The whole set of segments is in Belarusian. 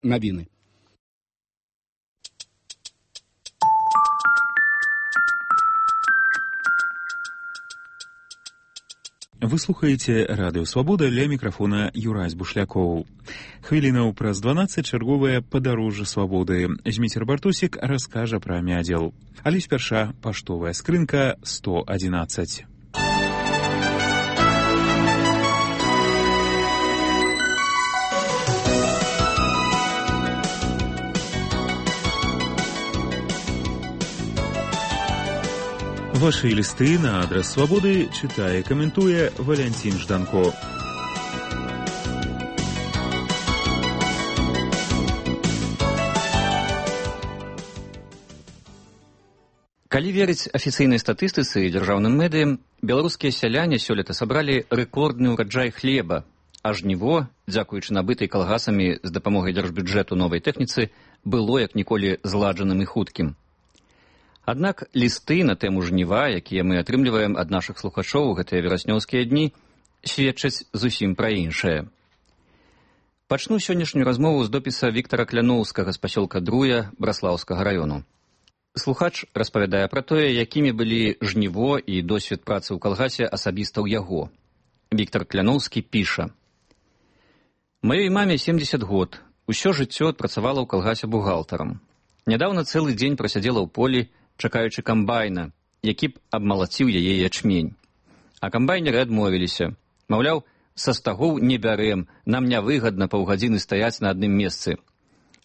Навіны. Вы слухаеце Радыё Свабода, ля мікрафона Юрась Бушлякоў. Хвілінаў праз 12 чарговае падарожжа свабоды. Зміцер Бартосік раскажа пра мядзел. Але спярша паштовая скрынка 111. Ваши листы на адрес Свободы читае и комментуе Валентин Жданко. Калі верыць афіцыйнай статыстыцы і дзяржаўным медыям, беларускія сяляне сёлета сабралі рэкордны ўраджай хлеба, а жніво, дзякуючы набытай калгасамі з дапамогай дзяржбюджэту новай тэхніцы, было як ніколі зладжаным і хуткім. Аднак лісты на тэму жніва, якія мы атрымліваем ад нашых слухачоў у гэтыя вераснёўскія дні, сведчаць зусім пра іншае. Пачну сённяшнюю размову з допіса Віктара Кляноўскага з пасёлка Друя Браслаўскага раёну. Слухач распавядае пра тое, якімі былі жніво і досвед працы ў калгасе асабіста ў яго. Віктар Кляноўскі піша: «Маёй маме 70 год, усё жыццё адпрацавала ў калгасе бухгалтарам. Нядаўна цэлы дзень прасядзела ў полі, чакаючы камбайна, які б абмалаціў яе ячмень. А камбайнеры адмовіліся. Маўляў, са стагоў не бярэм, нам нявыгадна паўгадзіны стаяць на адным месцы.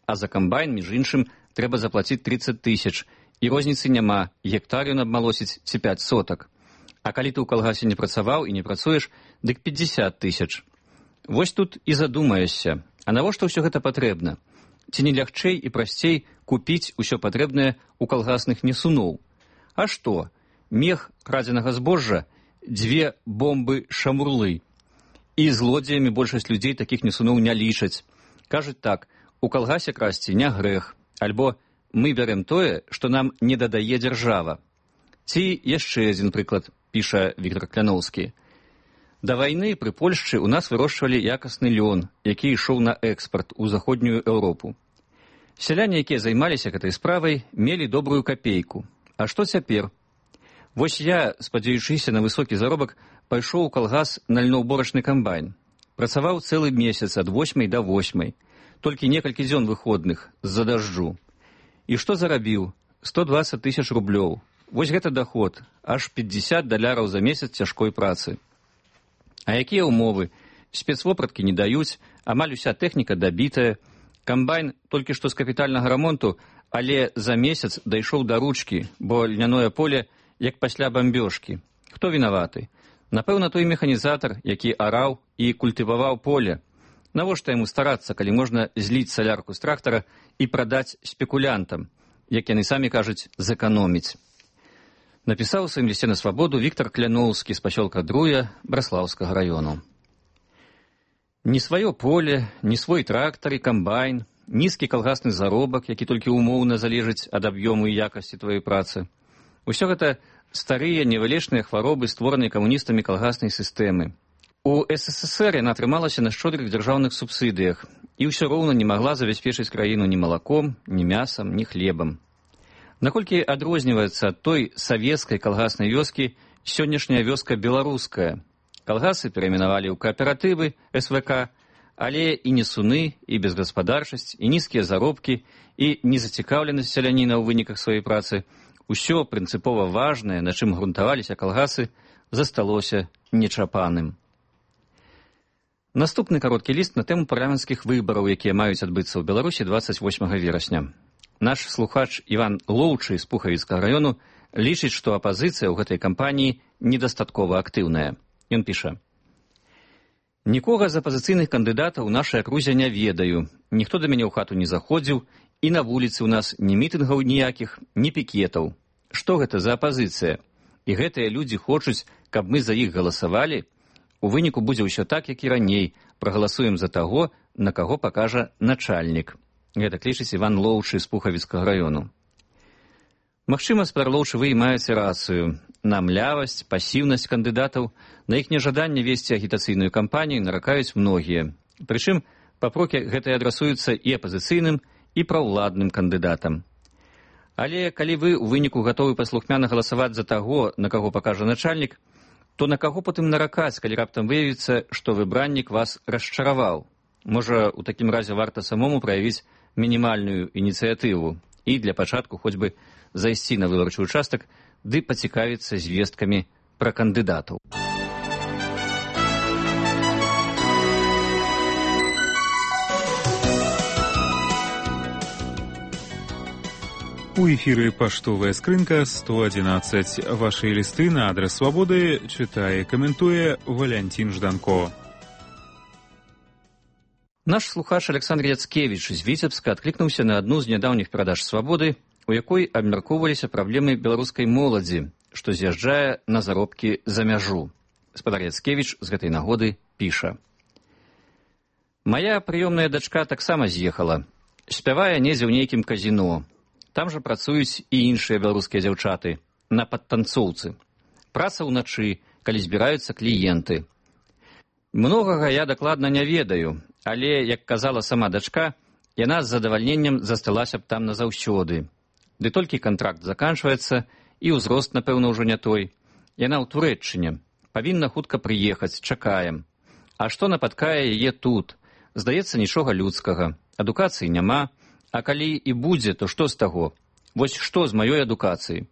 А за камбайн, між іншым, трэба заплаціць 30 000, і розніцы няма, гектар ён абмалосіць ці 5 сотак. А калі ты ў калгасе не працаваў і не працуеш, дык 50 000. Вось тут і задумаешся, а навошта ўсё гэта патрэбна? Ці не лягчэй і прасцей купіць усё патрэбнае ў калгасных несуноў? А што? Мех крадзенага збожжа, 2 бомбы-шамурлы. І злодзеямі большасць людзей такіх несуноў не лічаць. Кажуць так, у калгасе красці не грэх, альбо мы бярем тое, што нам не дадае дзяржава. Ці яшчэ адзін прыклад, піша Віктар Кляноўскі. Да вайны пры Польшчы ў нас вырошчвалі якасны лён, які ішоў на экспарт у заходнюю Еўропу. Сяляне, якія займаліся гэтай справай, мелі добрую капейку. А што цяпер? Вось я, спадзяючыся на высокі заробак, пайшоў у калгас на льноўборачны камбайн. Працаваў цэлы месяц ад 8 до 8, толькі некалькі дзён выходных з-за дажджу. І што зарабіў? 120 000 рублёў. Вось гэта даход, аж $50 за месяц цяжкой працы. А якія ўмовы? Спецвопраткі не даюць, амаль уся тэхніка дабітая. Камбайн толькі што з капітальнага рамонту, але за месяц дайшоў да ручкі, бо льняное поле як пасля бамбёжкі. Хто вінаваты? Напэўна, той механізатар, які араў і культываваў поле. Навошта яму старацца, калі можна зліць салярку з трактара і прадаць спекулянтам, як яны самі кажуць, зэканоміць. Напісаў у сваім лісце на свабоду Віктар Кляноўскі з пасёлка Друя Браслаўскага раёну. Ні сваё поле, ні свой трактар і камбайн, нізкі калгасны заробак, які толькі умоўна залежыць ад аб'ёму і якасці тваёй працы. Усё гэта старыя невылечныя хваробы, створаныя камуністамі калгаснай сістэмы. У СССР яна атрымалася на шчодрых дзяржаўных субсідыях і ўсё роўна не магла забяспечыць краіну ні малаком, ні мясам, ні хлебам. Наколькі адрозніваецца ад той савецкай калгаснай вёскі сённяшняя вёска беларуская. Калгасы перайменавалі ў кааператывы, СВК, але і несуны, і безгаспадарчасць, і нізкія заробкі, і незацікаўленасць сяляніна ў выніках сваёй працы, усё прынцыпова важнае, на чым грунтаваліся калгасы, засталося нечапаным. Наступны кароткі ліст на тэму парламенцкіх выбараў, якія маюць адбыцца ў Беларусі 28 верасня. Наш слухач Іван Лоўчы з Пухавіцкага раёну лічыць, што апазіцыя ў гэтай кампаніі недастаткова актыўная. Ён піша: «Нікога з апазіцыйных кандыдатаў у нашай акрузе не ведаю, ніхто да мяне ў хату не заходзіў, і на вуліцы ў нас ні мітынгаў ніякіх, ні пікетаў. Што гэта за апазіцыя? І гэтыя людзі хочуць, каб мы за іх галасавалі? У выніку будзе ўсё так, як і раней, прагаласуем за таго, на каго пакажа начальнік». Гэта лічыць Іван Лоўчы з Пухавіцкага раёну. Магчыма, спадар Лоўчы, вы і маеце рацыю. На млявасць, пасіўнасць кандыдатаў, на іх нежаданне весці агітацыйную кампанію наракаюць многія. Прычым, папрокі гэтыя адрасуюцца і апазіцыйным, і праўладным кандыдатам. Але калі вы ў выніку гатовы паслухмяна галасаваць за таго, на каго пакажа начальнік, то на каго потым наракаць, калі раптам выявіцца, што выбраннік вас расчараваў? Можа, у такім разе варта самому праявіць мінімальную ініцыятыву і для пачатку хоць бы зайсці на выбарчы ўчастак ды пацікавіцца звесткамі пра кандыдатаў. У эфіры паштовая скрынка 111. Вашы лісты на адрас Свабоды чытае і каментуе Валянцін Жданко. Наш слухач Александр Яцкевіч з Віцебска адклікнуўся на адну з нядаўніх перадач Свабоды, у якой абмяркоўваліся праблемы беларускай моладзі, што з'язджае на заробкі за мяжу. Спадар Яцкевіч з гэтай нагоды піша. Мая прыёмная дачка таксама з'ехала. Спявае недзе ў нейкім казіно. Там жа працуюць і іншыя беларускія дзяўчаты, на падтанцоўцы. Праца ўначы, калі збіраюцца кліенты. Многага я дакладна не ведаю, але, як казала сама дачка, яна з задавальненнем засталася б там назаўсёды. Ды толькі кантракт заканчваецца, і ўзрост, напэўна, ўжо не той. Яна ў Турэччыне. Павінна хутка прыехаць, чакаем. А што напаткае яе тут? Здаецца, нічога людскага. Адукацыі няма. А калі і будзе, то што з таго? Вось што з маёй адукацыі?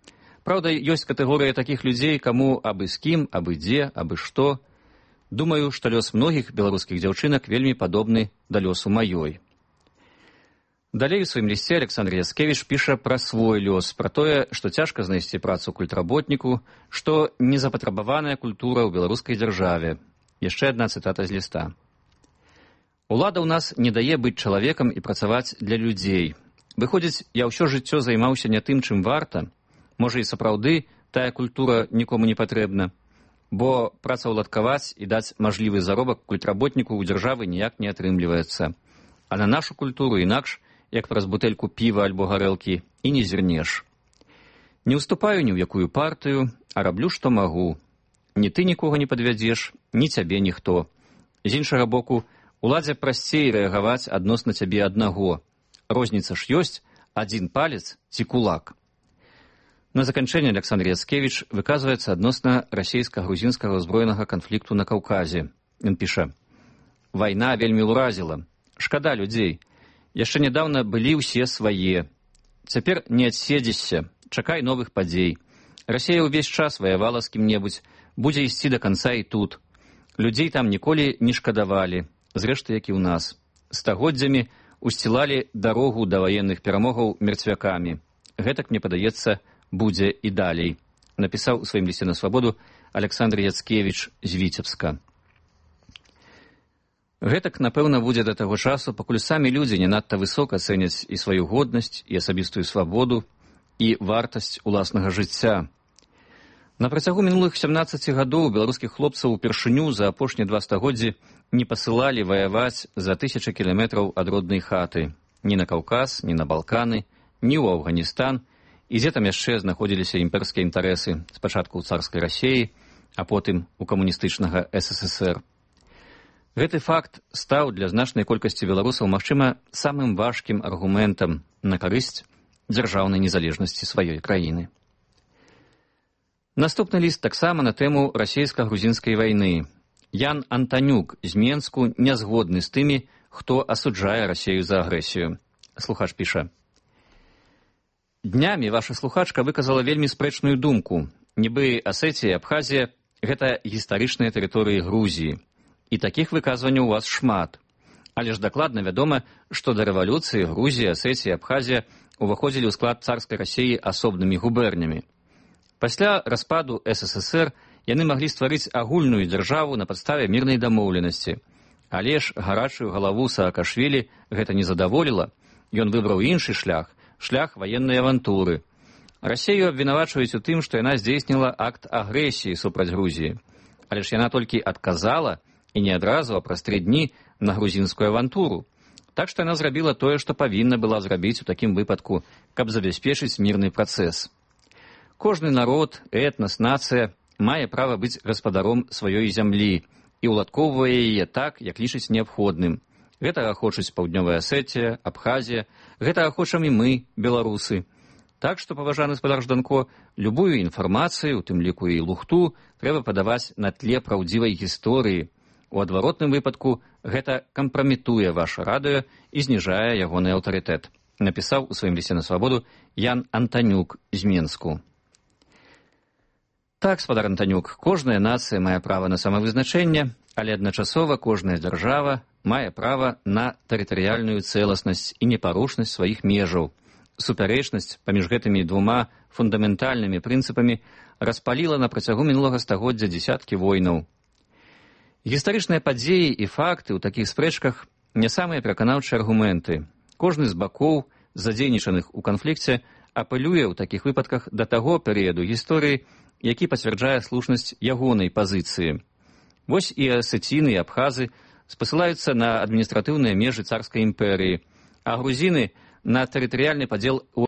Праўда, ёсць катэгорыя такіх людзей, каму абы з кім, абы дзе, абы што. Думаю, што лёс многіх беларускіх дзяўчынак вельмі падобны да лёсу маёй. Далей у сваім лісце Александр Яцкевіч піша пра свой лёс, пра тое, што цяжка знайсці працу культработніку, што незапатрабаваная культура ў беларускай дзяржаве. Яшчэ адна цытата з ліста. Улада ў нас не дае быць чалавекам і працаваць для людзей. Выходзіць, я ўсё жыццё займаўся не тым, чым варта. Можа, і сапраўды тая культура нікому не патрэбна. Бо працаўладкаваць і даць мажлівы заробак культработніку ў дзяржавы ніяк не атрымліваецца. А на нашу культуру інакш, як праз бутэльку піва альбо гарэлкі, і не зірнеш. Не ўступаю ні ў якую партыю, а раблю, што магу. Ні ты нікога не падвядзеш, ні цябе ніхто. З іншага боку, уладзе прасцей рэагаваць адносна цябе аднаго. Розніца ж ёсць, адзін палец ці кулак. На заканчэнне Александр Яцкевіч выказваецца адносна расійска-грузінскага ўзброенага канфлікту на Каўказе. Ён піша. Вайна вельмі ўразіла. Шкада людзей. Яшчэ нядаўна былі ўсе свае. Цяпер не адседзішся. Чакай новых падзей. Расія ўвесь час ваявала з кім-небудзь. Будзе ісці да канца і тут. Людзей там ніколі не шкадавалі. Зрэшты, як і ў нас. Стагоддзямі усцілалі дарогу да ваенных перамогаў мерцвякамі. Гэтак, мне падаецца, будзе і далей. Напісаў у сваім лісце на Свабоду Александр Яцкевіч з Віцебска. Гэтак, напэўна, будзе да таго часу, пакуль самі людзі не надта высока цэняць і сваю годнасць, і асабістую свабоду, і вартасць уласнага жыцця. На працягу мінулых 17 гадоў беларускіх хлопцаў упершыню за апошнія 2 стагоддзі не пасылалі ваяваць за 1000 кіламетраў ад роднай хаты. Ні на Каўказ, ні на Балканы, ні ў Афганістан, і дзе там яшчэ знаходзіліся імперскія інтарэсы, спачатку ў царскай Расіі, а потым у камуністычнага СССР. Гэты факт стаў для значнай колькасці беларусаў, магчыма, самым важкім аргументам на карысць дзяржаўнай незалежнасці сваёй краіны. Наступны ліст таксама на тэму расійска-грузінскай вайны. Ян Антанюк з Менску не згодны з тымі, хто асуджае Расію за агрэсію. Слухач піша. Днямі ваша слухачка выказала вельмі спрэчную думку. Нібы Асетія і Абхазія – гэта гістарычныя тэрыторыі Грузіі. І такіх выказванняў у вас шмат. Але ж дакладна вядома, што да рэвалюцыі Грузія, Асетія і Абхазія уваходзілі ў склад царскай Расіі асобнымі губернямі. Пасля распаду СССР яны маглі стварыць агульную дзяржаву на падставе мірнай дамоўленасці. Але ж гарачую галаву Саакашвілі гэта не задаволіла. Ён выбраў іншы шлях – шлях ваеннай авантуры. Расію абвінавачваюць у тым, што яна здзейсніла акт агрэсіі супраць Грузіі. Але ж яна толькі адказала, і не адразу, а праз 3 дні, на грузінскую авантуру. Так што яна зрабіла тое, што павінна была зрабіць у такім выпадку, каб забяспечыць мірны працэс. Кожны народ, этнас, нацыя мае права быць гаспадаром сваёй зямлі і ўладкоўвае яе так, як лічыць неабходным. Гэтага хочуць Паўднёвая Асетія, Абхазія, гэтага хочам і мы, беларусы. Так што, паважаны спадар Жданко, любую інфармацыю, у тым ліку і лухту, трэба падаваць на тле праўдзівай гісторыі. У адваротным выпадку гэта кампраметуе ваше радыё і зніжае ягоны аўтарытэт, напісаў у сваім лісце на свабоду Ян Антанюк з Менску. Так, спадар Антанюк, кожная нацыя мае права на самавызначэнне, але адначасова кожная дзяржава мае права на тэрытарыяльную цэласнасць і непарушнасць сваіх межаў. Супярэчнасць паміж гэтымі двума фундаментальнымі прынцыпамі распаліла на працягу мінулага стагоддзя дзесяткі войнаў. Гістарычныя падзеі і факты ў такіх спрэчках не самыя пераканаўчыя аргументы. Кожны з бакоў, задзейнічаных у канфлікце, апелюе ў такіх выпадках да таго перыяду гісторыі, які пацвярджае слушнасць ягонай пазіцыі. Вось і асеціны, і абхазы спасылаюцца на адміністратыўныя межы царскай імперыі, а грузіны — на тэрытарыяльны падзел у